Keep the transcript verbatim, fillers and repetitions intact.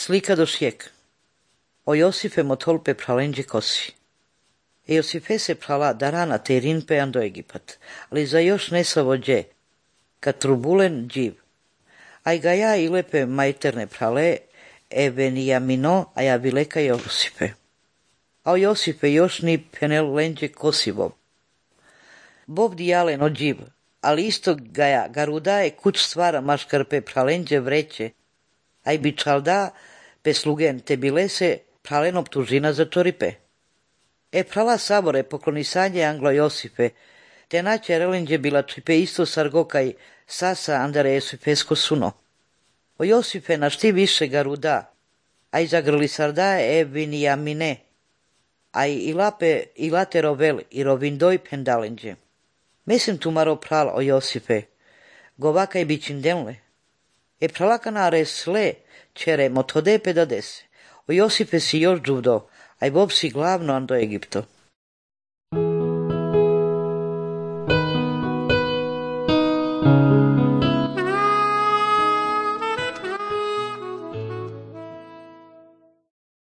Slika do šjek. O Josife motolpe pralenđe kosi. E Josife se prala darana te rinpe ando Egipat, ali za još ne savođe, kad trubulen dživ. Aj ga ja i lepe majterne prale, e Benjamino, a ja vileka Josipe. A o Josipe još ni penel lenđe kosivo. Bob dijalen o dživ, ali isto ga ja garudaje kuć stvara maškarpe pralenđe vreće, aj bi čalda pe slugen te bilese pralen optužina za čoripe. E prala sabore poklonisanje Anglo Josipe, te naće relenđe bila čipe isto sargokaj sasa andare Josipesko suno. O Josipe na šti više garuda, aj zagrli sarda e Benjamine, aj i lape i late rovel i rovindoj pendalenđe. Mislim tu maro pral o Josipe, govakaj bićindenle. E pralakana resle, čere motode pedadese. O Josipe si još džuvdo, aj bob si glavno ando Egipto.